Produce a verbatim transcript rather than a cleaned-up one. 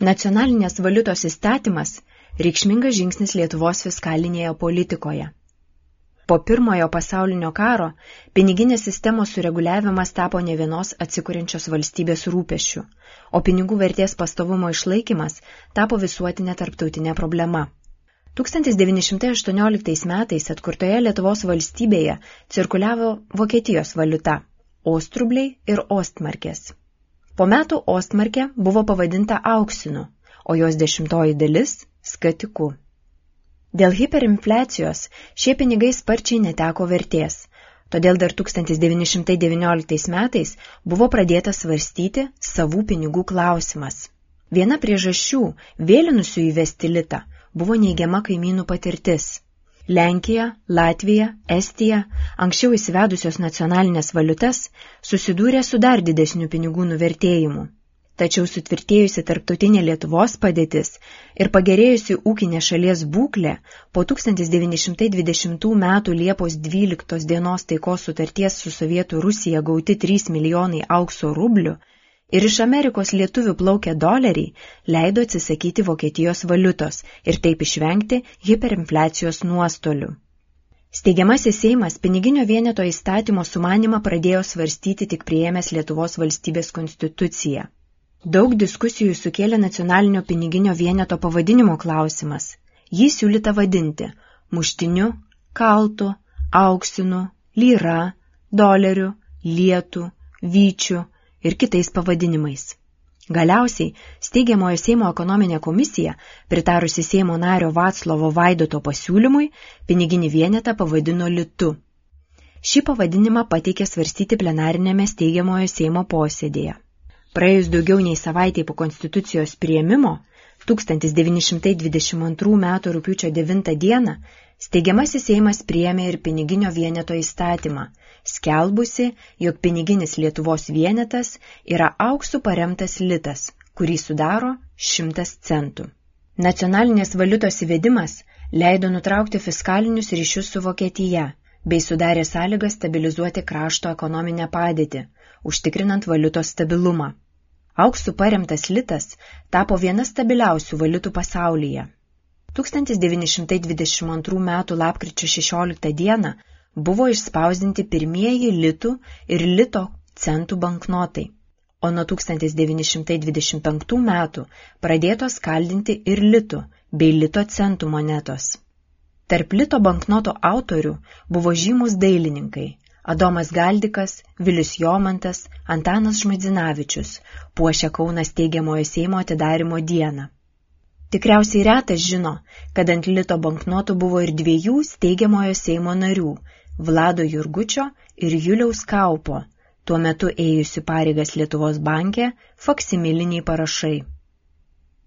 Nacionalinės valiutos įstatymas – reikšmingas žingsnis Lietuvos fiskalinėje politikoje. Po pirmojo pasaulinio karo piniginės sistemos sureguliavimas tapo ne vienos atsikuriančios valstybės rūpesčių, o pinigų vertės pastovumo išlaikymas tapo visuotinė tarptautinė problema. tūkstantis devyni šimtai aštuonioliktais metais atkurtoje Lietuvos valstybėje cirkuliavo Vokietijos valiuta – ostrubliai ir ostmarkės. Po metų ostmarkė buvo pavadinta auksinu, o jos dešimtoji dalis – skatiku. Dėl hiperinfliacijos šie pinigai sparčiai neteko vertės, todėl dar tūkstantis devyni šimtai devynioliktais metais buvo pradėtas svarstyti savų pinigų klausimas. Viena priežasčių, vėlinusių įvesti litą, buvo neigiama kaimynų patirtis. Lenkija, Latvija, Estija, anksčiau įsivedusios nacionalinės valiutas, susidūrė su dar didesniu pinigų nuvertėjimu. Tačiau sutvirtėjusi tarptautinė Lietuvos padėtis ir pagerėjusi ūkinė šalies būklė po tūkstantis devyni šimtai dvidešimtų metų Liepos dvyliktos dienos taikos sutarties su Sovietų Rusija gauti trys milijonai aukso rublių ir iš Amerikos lietuvių plaukę doleriai leido atsisakyti Vokietijos valiutos ir taip išvengti hiperinfliacijos nuostolių. Steigiamasis Seimas piniginio vieneto įstatymo sumanymą pradėjo svarstyti tik priėmęs Lietuvos valstybės konstituciją. Daug diskusijų sukėlė nacionalinio piniginio vieneto pavadinimo klausimas. Jį siūlyta vadinti muštiniu, kaltu, auksinu, lyra, doleriu, lietu, vyčiu ir kitais pavadinimais. Galiausiai steigiamojo Seimo ekonominė komisija, pritarusi Seimo nario Vaclovo Vaidoto pasiūlymui, piniginį vienetą pavadino litu. Šį pavadinimą pateikė svarstyti plenarinėme steigiamojo Seimo posėdėje. Praėjus daugiau nei savaitei po konstitucijos priėmimo, tūkstantis devyni šimtai dvidešimt antrų metų rugpjūčio devintą dieną, steigiamasis Seimas priėmė ir piniginio vieneto įstatymą, skelbusi, jog piniginis Lietuvos vienetas yra auksu paremtas litas, kurį sudaro šimtas centų. Nacionalinės valiutos įvedimas leido nutraukti fiskalinius ryšius su Vokietija, bei sudarė sąlygas stabilizuoti krašto ekonominę padėtį, užtikrinant valiutos stabilumą. Auksų paremtas litas tapo viena stabiliausių valiutų pasaulyje. tūkstantis devyni šimtai dvidešimt antrų metų lapkričio šešioliktą dieną buvo išspausdinti pirmieji litų ir lito centų banknotai, o nuo tūkstantis devyni šimtai dvidešimt penktų metų pradėtos kaldinti ir litų bei lito centų monetos. Tarp lito banknoto autorių buvo žymus dailininkai Adomas Galdikas, Vilius Jomantas, Antanas Žmuidzinavičius, puošia Kauno steigiamojo Seimo atidarymo dieną. Tikriausiai retas žino, kad ant lito banknotų buvo ir dviejų steigiamojo Seimo narių, Vlado Jurgučio ir Juliaus Kaupo, tuo metu ėjusių pareigas Lietuvos banke, faksimiliniai parašai.